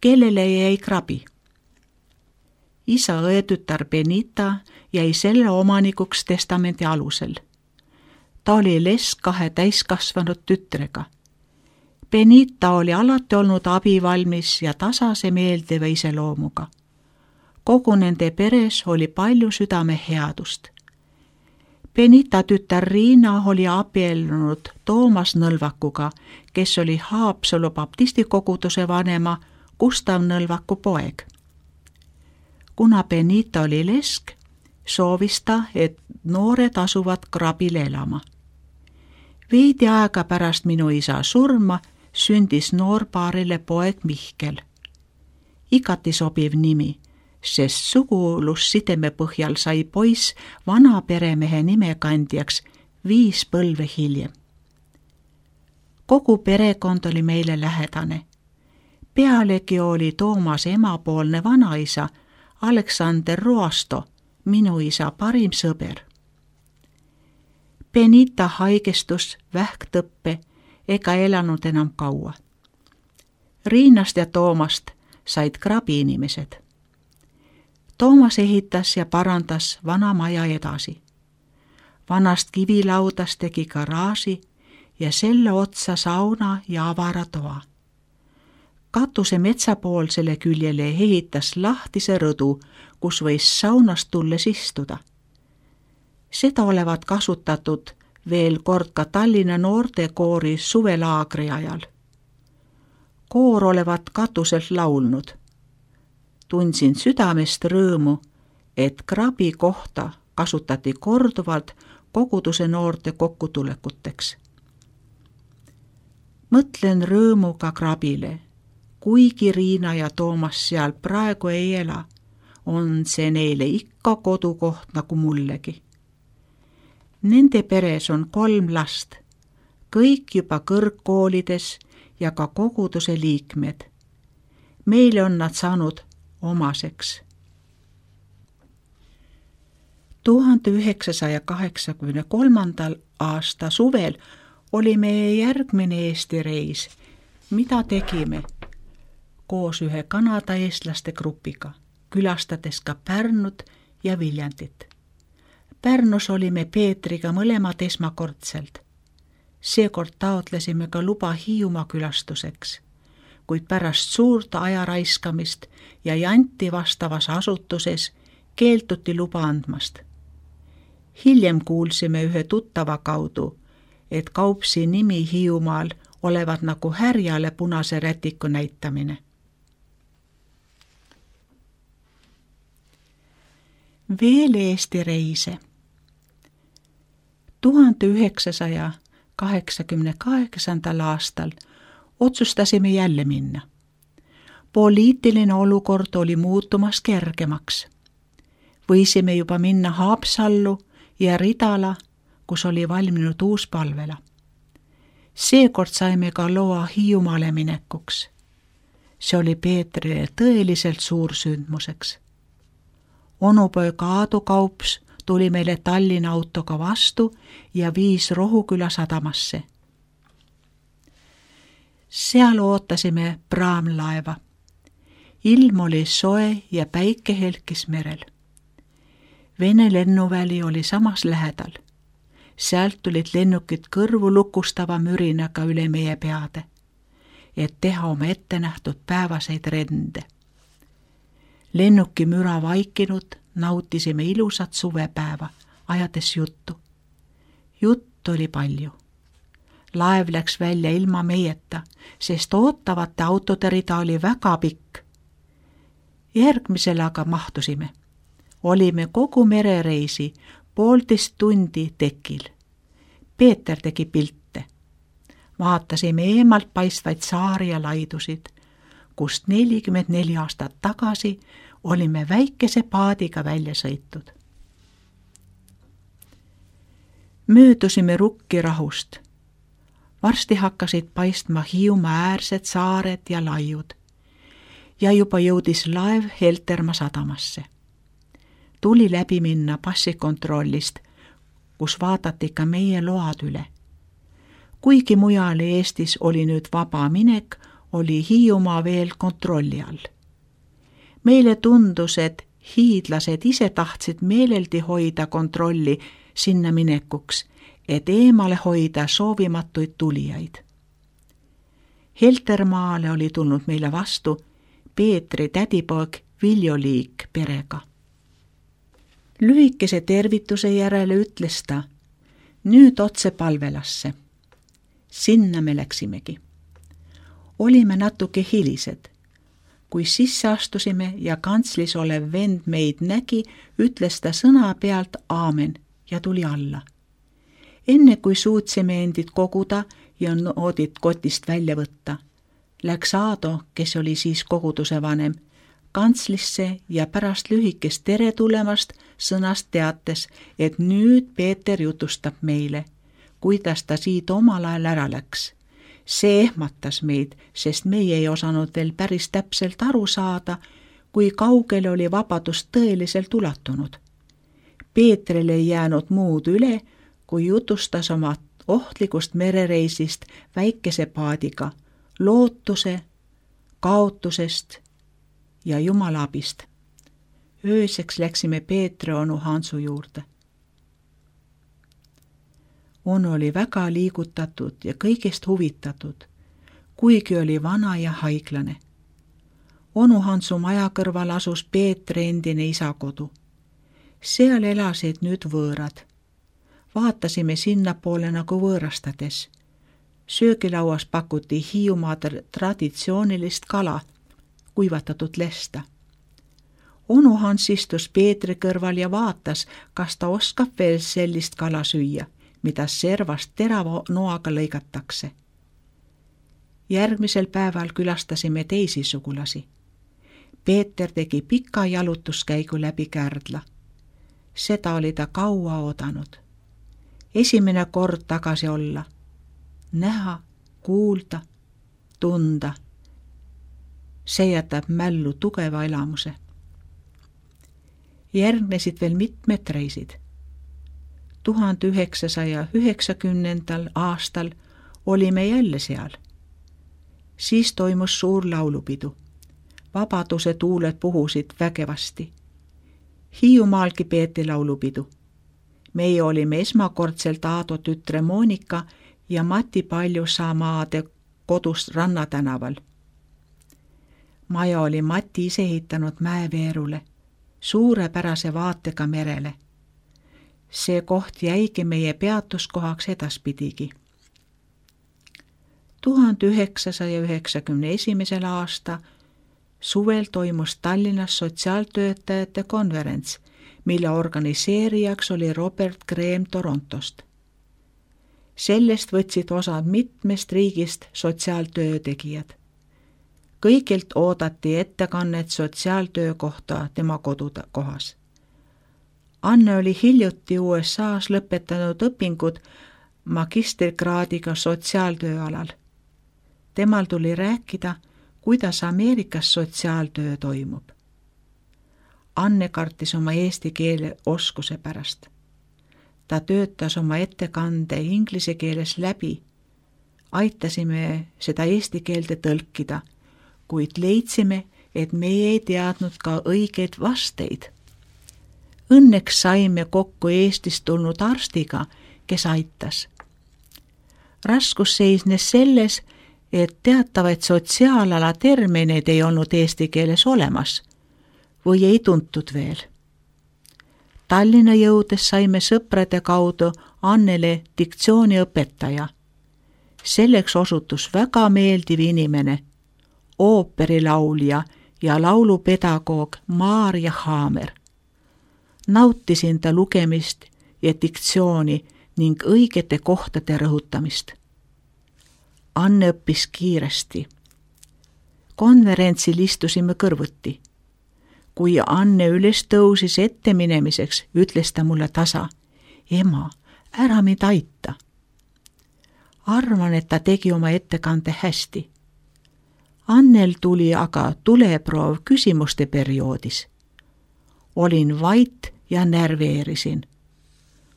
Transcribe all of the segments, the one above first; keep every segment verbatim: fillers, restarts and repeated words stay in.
kellele jäi krabi. Isa õetütar Benita jäi selle omanikuks testamenti alusel. Ta oli lesk kahe täiskasvanud tütrega. Benita oli alati olnud abivalmis ja tasase meeldiva iseloomuga. Kogu nende peres oli palju südameheadust. Benita tütar Riina oli abiellunud Toomas Nõlvakuga, kes oli Haapsalu baptistikoguduse vanema Gustav Nõlvaku poeg. Kuna Benita oli lesk, soovis ta, et noored asuvad krabile elama. Veidi aega pärast minu isa surma sündis noorpaarile poeg Mihkel. Igati sobiv nimi, sest sugulussideme põhjal sai poiss vana peremehe nimekandjaks viis põlve hiljem. Kogu perekond oli meile lähedane. Pealegi oli Toomas emapoolne vanaisa Aleksander Roasto, minu isa parim sõber. Benita haigestus vähktõppe ega elanud enam kaua. Riinast ja Toomast said krabi inimesed. Toomas ehitas ja parandas vana maja edasi. Vanast kivilaudast tegi garaaži ja selle otsa sauna ja avara toa. Katuse metsapoolsele küljele ehitas lahtise rõdu, kus võis saunast tulles istuda. Seda olevat kasutatud veel kord ka Tallinna noortekoori suvelaagri ajal. Koor olevat katuselt laulnud. Tundsin südamest rõõmu, et krabi kohta kasutati korduvalt koguduse noorte kokkutulekuteks. Mõtlen rõõmuga krabile. Kuigi Riina ja Toomas seal praegu ei ela, on see neile ikka kodukoht nagu mullegi. Nende peres on kolm last, kõik juba kõrgkoolides ja ka koguduse liikmed. Meile on nad saanud omaseks. tuhande üheksasaja kaheksakümne kolmandal aasta suvel oli meie järgmine Eesti reis. Mida tegime? Koos ühe Kanada eestlaste grupiga, külastades ka Pärnut ja Viljandit. Pärnus olime Peetriga mõlemad esmakordselt. Seekord taotlesime ka luba Hiiumaa külastuseks, kuid pärast suurt aja raiskamist ja janti vastavas asutuses keelduti luba andmast. Hiljem kuulsime ühe tuttava kaudu, et Kaupsi nimi Hiiumaal olevat nagu härjale punase rätiku näitamine. Veel Eesti reise. tuhande üheksasaja kaheksakümne kaheksandal aastal otsustasime jälle minna. Poliitiline olukord oli muutumas kergemaks. Võisime juba minna Haapsallu ja Ridala, kus oli valminud uus palvela. Seekord saime ka loa Hiiumaale minekuks. See oli Peetrile tõeliselt suur sündmuseks. Onupoeg Aadu Kaups tuli meile Tallinna autoga vastu ja viis Rohuküla sadamasse. Seal ootasime praamlaeva. Ilm oli soe ja päike helkis merel. Vene lennuväli oli samas lähedal. Sealt tulid lennukid kõrvu lukustava mürinaga üle meie peade, et teha oma ettenähtud päevaseid rende. Lennuki müra vaikinud, nautisime ilusat suvepäeva, ajades juttu. Juttu oli palju. Laev läks välja ilma meieta, sest ootavate autode rida oli väga pikk. Järgmisel aga mahtusime. Olime kogu merereisi poolteist tundi tekil. Peeter tegi pilte. Vaatasime eemalt paistvaid saari ja laidusid, kust nelikümmend neli aastat tagasi olime väikese paadiga välja sõitud. Möödusime Rukkirahust. Varsti hakkasid paistma Hiiumaa äärsed saared ja laiud ja juba jõudis laev Heltermaa sadamasse. Tuli läbi minna passikontrollist, kus vaadati ka meie load üle. Kuigi mujal Eestis oli nüüd vaba minek, oli Hiiumaa veel kontrolli all. Meile tundus, et hiidlased ise tahtsid meeleldi hoida kontrolli sinna minekuks, et eemale hoida soovimatuid tulijaid. Heltermaale oli tulnud meile vastu Peetri tädipoeg Viljo Liik perega. Lühikese tervituse järele ütles ta, nüüd otse palvelasse. Sinna me läksimegi. Olime natuke hilised. Kui sisse astusime ja kantslis olev vend meid nägi, ütles ta sõna pealt aamen ja tuli alla. Enne kui suutsime endid koguda ja noodid kotist välja võtta, läks Aado, kes oli siis koguduse vanem, kantslisse ja pärast lühikest tere tulemast sõnast teates, et nüüd Peeter jutustab meile, kuidas ta siit omal ajal ära läks. See ehmatas meid, sest meie ei osanud veel päris täpselt aru saada, kui kaugele oli vabadus tõeliselt ulatunud. Peetril ei jäänud muud üle, kui jutustas oma ohtlikust merereisist väikese paadiga, lootuse, kaotusest ja Jumala abist. Ööseks läksime Peetri onu Hansu juurde. Onu oli väga liigutatud ja kõigest huvitatud, kuigi oli vana ja haiglane. Onu Hansu maja kõrval asus Peetri endine isakodu. Seal elasid nüüd võõrad. Vaatasime sinnapoole nagu võõrastades. Söögilauas pakuti Hiiumaa traditsioonilist kala, kuivatatud lesta. Onu Hans istus Peetri kõrval ja vaatas, kas ta oskab veel sellist kala süüa, mida servast terava noaga lõigatakse. Järgmisel päeval külastasime teisi sugulasi. Peeter tegi pika jalutuskäigu läbi Kärdla. Seda oli ta kaua oodanud. Esimene kord tagasi olla. Näha, kuulda, tunda. See jätab mällu tugeva elamuse. Järgnesid veel mitmed reisid. tuhande üheksasaja üheksakümnendal aastal olime jälle seal. Siis toimus suur laulupidu. Vabaduse tuuled puhusid vägevasti. Hiiumaalgi peeti laulupidu. Meie olime esmakordselt Aado tütre Monika ja Mati Paljusamaade kodust Rannatänaval. Maja oli Mati ise ehitanud mäeveerule, suurepärase vaatega merele. See koht jäigi meie peatuskohaks edaspidigi. tuhande üheksasaja üheksakümne esimesel aasta suvel toimus Tallinnas sotsiaaltöötajate konverents, mille organiseerijaks oli Robert Graham Torontost. Sellest võtsid osad mitmest riigist sotsiaaltöötegijad. Kõigilt oodati ettekannet sotsiaaltöö kohta tema kodukohas. Anne oli hiljuti U S A-s lõpetanud õpingud magistrikraadiga sotsiaaltöö alal. Temal tuli rääkida, kuidas Ameerikas sotsiaaltöö toimub. Anne kartis oma eesti keele oskuse pärast. Ta töötas oma ettekande inglise keeles läbi. Aitasime seda eesti keelde tõlkida, kuid leidsime, et meie ei teadnud ka õigeid vasteid. Õnneks saime kokku Eestist tulnud arstiga, kes aitas. Raskus seisnes selles, et teatavaid sotsiaalala termineid ei olnud eesti keeles olemas või ei tuntud veel. Tallinna jõudes saime sõprade kaudu Annele diktsiooniõpetaja. Selleks osutus väga meeldiv inimene, ooperilaulja ja laulupedagoog Maarja Haamer. Nautisin ta lugemist ja diktsiooni ning õigete kohtade rõhutamist. Anne õppis kiiresti. Konverentsil istusime kõrvuti. Kui Anne üles tõusis ette minemiseks, ütles ta mulle tasa, ema, ära mind aita. Arvan, et ta tegi oma ettekande hästi. Annel tuli aga tuleproov küsimuste perioodis. Olin vait ja närveerisin.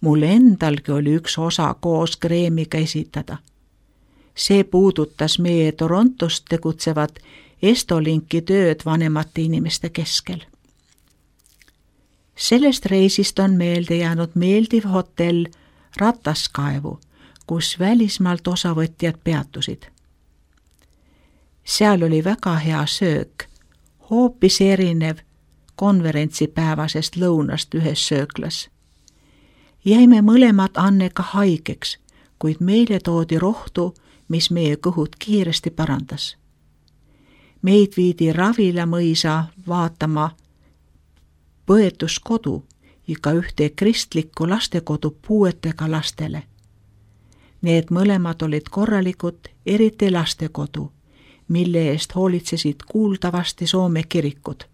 Mul endalgi oli üks osa koos Kreemiga esitada. See puudutas meie Torontos tegutsevat Estolinki tööd vanemate inimeste keskel. Sellest reisist on meelde jäänud meeldiv hotell Rataskaevu, kus välismaalt osavõtjad peatusid. Seal oli väga hea söök, hoopis erinev konverentsipäevasest lõunast ühes sööklas. Jäime mõlemad Annega haigeks, kuid meile toodi rohtu, mis meie kõhud kiiresti parandas. Meid viidi Ravila mõisa vaatama põetuskodu ja ka ühte kristlikku lastekodu puuetega lastele. Need mõlemad olid korralikud, eriti lastekodu, mille eest hoolitsesid kuuldavasti Soome kirikud.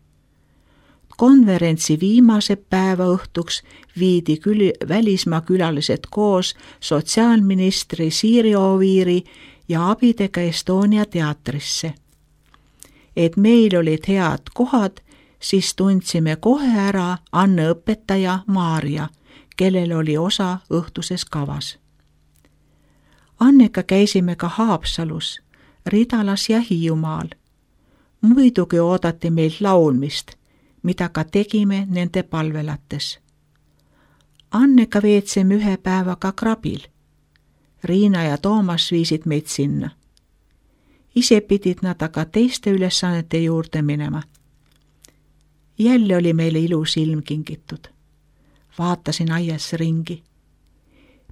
Konverentsi viimase päeva õhtuks viidi küll välismaa külalised koos sotsiaalministri Siiri Oviiri ja abidega Estonia teatrisse. Et meil olid head kohad, siis tundsime kohe ära Anne õpetaja Maarja, kellel oli osa õhtuses kavas. Annega käisime ka Haapsalus, Ridalas ja Hiiumaal. Muidugi oodati meilt laulmist, mida ka tegime nende palvelates. Annega veetsime ühe päevaga Krabil. Riina ja Toomas viisid meid sinna. Ise pidid nad aga teiste ülesannete juurde minema. Jälle oli meile ilus ilm kingitud. Vaatasin aias ringi.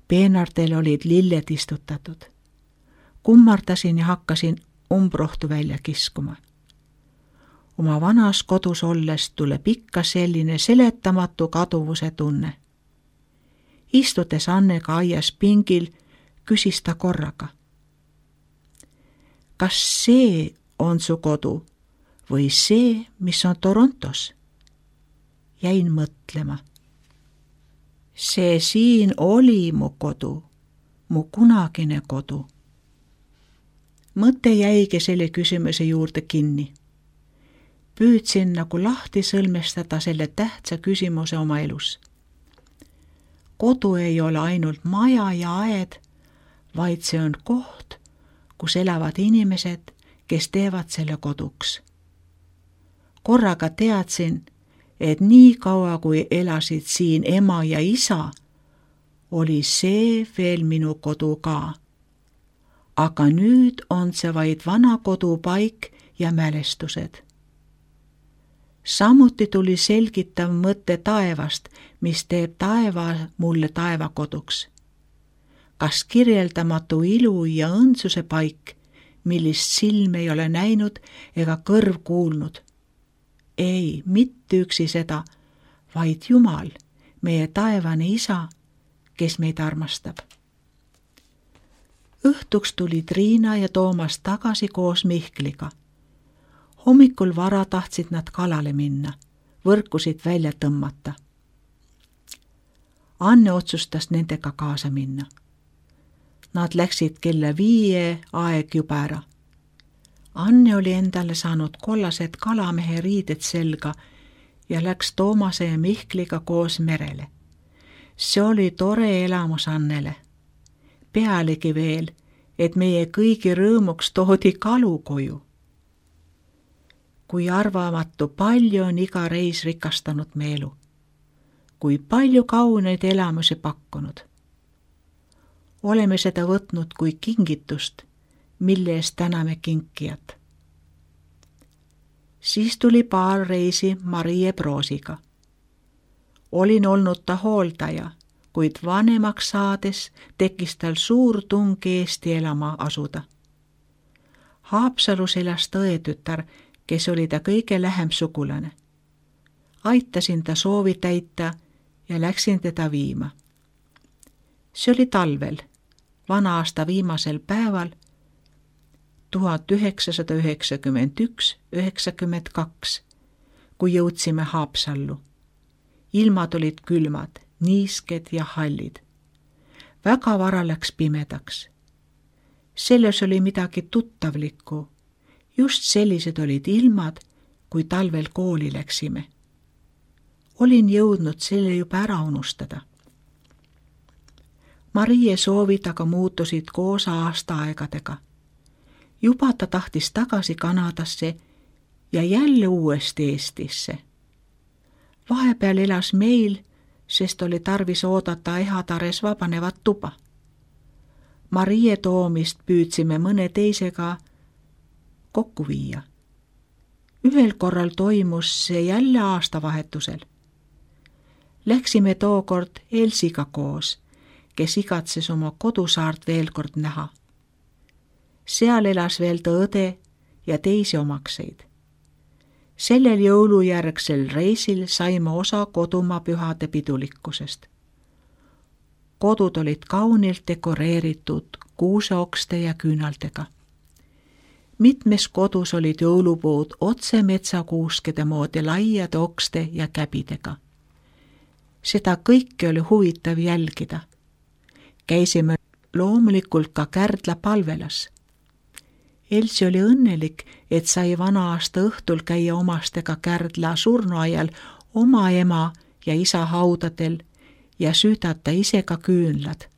Peenartel olid lilled istutatud. Kummardasin ja hakkasin umbrohtu välja kiskuma. Oma vanas kodus olles tuleb ikka selline seletamatu kaduvuse tunne. Istudes Annega aias pingil, küsis ta korraga. Kas see on su kodu või see, mis on Torontos? Jäin mõtlema. See siin oli mu kodu, mu kunagine kodu. Mõte jäigi selle küsimuse juurde kinni. Püüdsin nagu lahti sõlmestada selle tähtsa küsimuse oma elus. Kodu ei ole ainult maja ja aed, vaid see on koht, kus elavad inimesed, kes teevad selle koduks. Korraga teadsin, et nii kaua kui elasid siin ema ja isa, oli see veel minu kodu ka. Aga nüüd on see vaid vana kodupaik ja mälestused. Samuti tuli selgitav mõte taevast, mis teeb taeva mulle taevakoduks. Kas kirjeldamatu ilu ja õndsuse paik, millist silm ei ole näinud ega kõrv kuulnud. Ei, mitte üksi seda, vaid Jumal, meie taevane isa, kes meid armastab. Õhtuks tulid Riina ja Toomas tagasi koos Mihkliga. Hommikul vara tahtsid nad kalale minna, võrkusid välja tõmmata. Anne otsustas nendega kaasa minna. Nad läksid kella viie aeg juba ära. Anne oli endale saanud kollased kalamehe riided selga ja läks Toomase ja Mihkliga koos merele. See oli tore elamus Annele. Pealegi veel, et meie kõigi rõõmuks toodi kalu koju. Kui arvamatu palju on iga reis rikastanud me elu. Kui palju kauneid elamusi pakkunud. Oleme seda võtnud kui kingitust, mille eest täname kinkijat. Siis tuli paar reisi Marie Broosiga. Olin olnud ta hooldaja, kuid vanemaks saades tekkis tal suur tung Eesti elama asuda. Haapsalus elas tõetütar, kes oli ta kõige lähem sugulane. Aitasin ta soovi täita ja läksin teda viima. See oli talvel, vana aasta viimasel päeval, tuhat üheksasada üheksakümmend üks üheksakümmend kaks, kui jõudsime Haapsallu. Ilmad olid külmad, niisked ja hallid. Väga vara läks pimedaks. Selles oli midagi tuttavlikku. Just sellised olid ilmad, kui talvel kooli läksime. Olin jõudnud selle juba ära unustada. Marie soovid aga muutusid koos aastaaegadega. Juba ta tahtis tagasi Kanadasse ja jälle uuesti Eestisse. Vahepeal elas meil, sest oli tarvis oodata ehatares vabanevat tuba. Marie toomist püüdsime mõne teisega kokku viia. Ühel korral toimus see jälle aastavahetusel. Läksime tookord Elsiga koos, kes igatses oma kodusaart veel kord näha. Seal elas veel ta õde ja teisi omakseid. Sellel jõulujärgsel reisil saime osa kodumaa pühade pidulikkusest. Kodud olid kaunilt dekoreeritud kuuseokste ja küünaldega. Mitmes kodus olid jõulupuud otse metsakuuskede moodi laiade okste ja käbidega. Seda kõike oli huvitav jälgida. Käisime loomulikult ka Kärdla palvelas. Elsi oli õnnelik, et sai vana aasta õhtul käia omastega Kärdla surnuaial oma ema ja isa haudadel ja süüdata ise ka küünlad.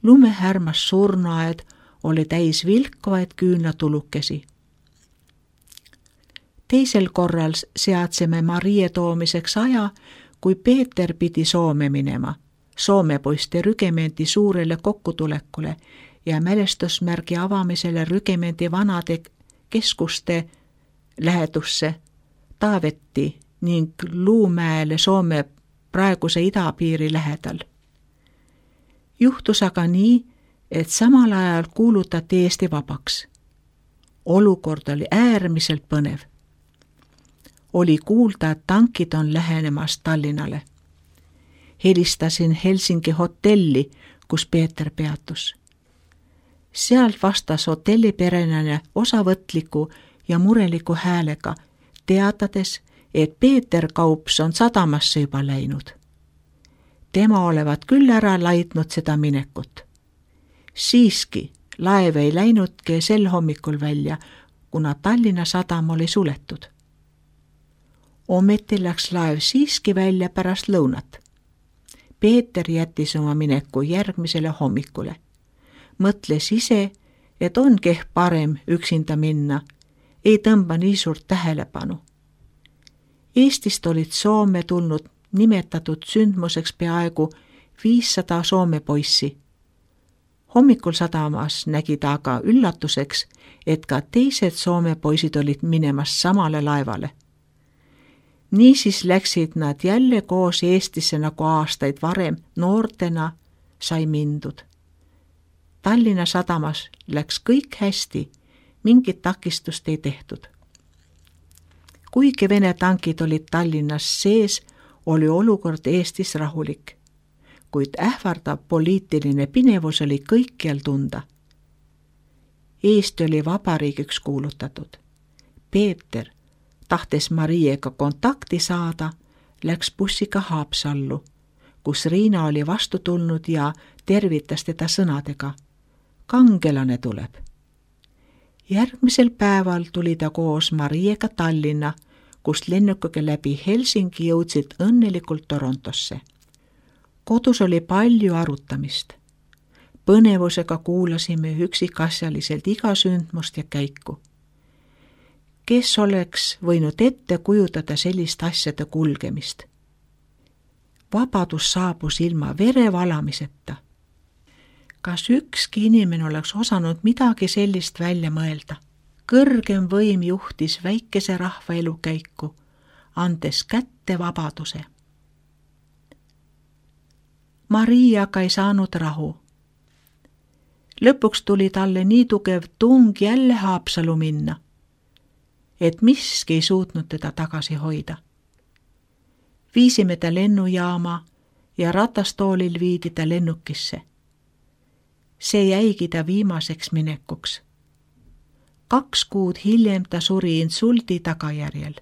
Lumehärmas surnuaed oli täis vilkvaid küünlatulukesi. Teisel korral seadsime Marie toomiseks aja, kui Peeter pidi Soome minema, Soome poiste rügemendi suurele kokkutulekule ja mälestusmärgi avamisele rügemendi vanade keskuste lähedusse Taavetti ning Luumäele Soome praeguse idapiiri lähedal. Juhtus aga nii, et samal ajal kuulutati Eesti vabaks. Olukord oli äärmiselt põnev. Oli kuulda, et tankid on lähenemas Tallinnale. Helistasin Helsingi hotelli, kus Peeter peatus. Sealt vastas hotelliperenane osavõtliku ja mureliku häälega, teatades, et Peeter Kaups on sadamasse juba läinud. Tema olevat küll ära laitnud seda minekut. Siiski laev ei läinudki sel hommikul välja, kuna Tallinna sadam oli suletud. Ometi läks laev siiski välja pärast lõunat. Peeter jättis oma mineku järgmisele hommikule. Mõtles ise, et ongi ehk parem üksinda minna, ei tõmba nii suurt tähelepanu. Eestist olid Soome tulnud nimetatud sündmuseks peaaegu viissada Soome poissi. Hommikul sadamas nägi ta aga üllatuseks, et ka teised Soome poisid olid minemas samale laevale. Niisiis läksid nad jälle koos Eestisse nagu aastaid varem noortena sai mindud. Tallinna sadamas läks kõik hästi, mingit takistust ei tehtud. Kuigi Vene tankid olid Tallinnas sees, oli olukord Eestis rahulik, kuid ähvardav poliitiline pinevus oli kõikjal tunda. Eesti oli vabariigiks kuulutatud. Peeter, tahtes Mariega kontakti saada, läks bussiga Haapsallu, kus Riina oli vastu tulnud ja tervitas teda sõnadega. Kangelane tuleb. Järgmisel päeval tuli ta koos Mariega Tallinna, kust lennukiga läbi Helsingi jõudsid õnnelikult Torontosse. Kodus oli palju arutamist. Põnevusega kuulasime üksikasjaliselt iga sündmust ja käiku. Kes oleks võinud ette kujutada sellist asjade kulgemist? Vabadus saabus ilma verevalamiseta. Kas ükski inimene oleks osanud midagi sellist välja mõelda? Kõrgem võim juhtis väikese rahva elukäiku, andes kätte vabaduse. Maria aga ei saanud rahu. Lõpuks tuli talle nii tugev tung jälle Haapsalu minna, et miski ei suutnud teda tagasi hoida. Viisime ta lennujaama ja ratastoolil viidi ta lennukisse. See jäigi ta viimaseks minekuks. Kaks kuud hiljem ta suri insuldi tagajärjel.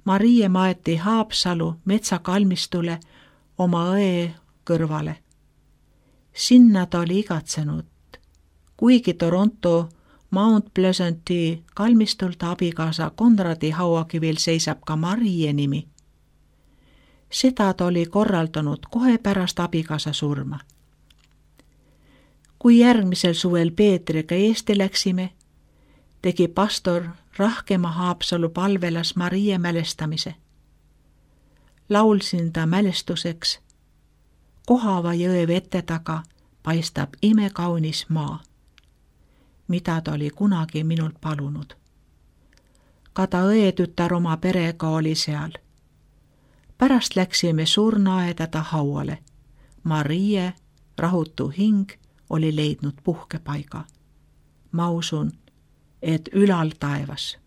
Marie maeti Haapsalu metsakalmistule oma õe kõrvale. Sinna ta oli igatsenud, kuigi Toronto Mount Pleasanti kalmistult abikaasa Konradi hauakivil seisab ka Marie nimi. Seda ta oli korraldanud kohe pärast abikaasa surma. Kui järgmisel suvel Peetriga Eesti läksime, tegi pastor Rahkema Haapsalu palvelas Maria mälestamise. Laulsin ta mälestuseks: Kohava jõe vete taga paistab imekaunis maa, mida ta oli kunagi minult palunud. Ka ta õetütar oma perega oli seal. Pärast läksime surnuaeda ta hauale. Marie, rahutu hing, oli leidnud puhkepaiga. Ma usun, et ülal taevas.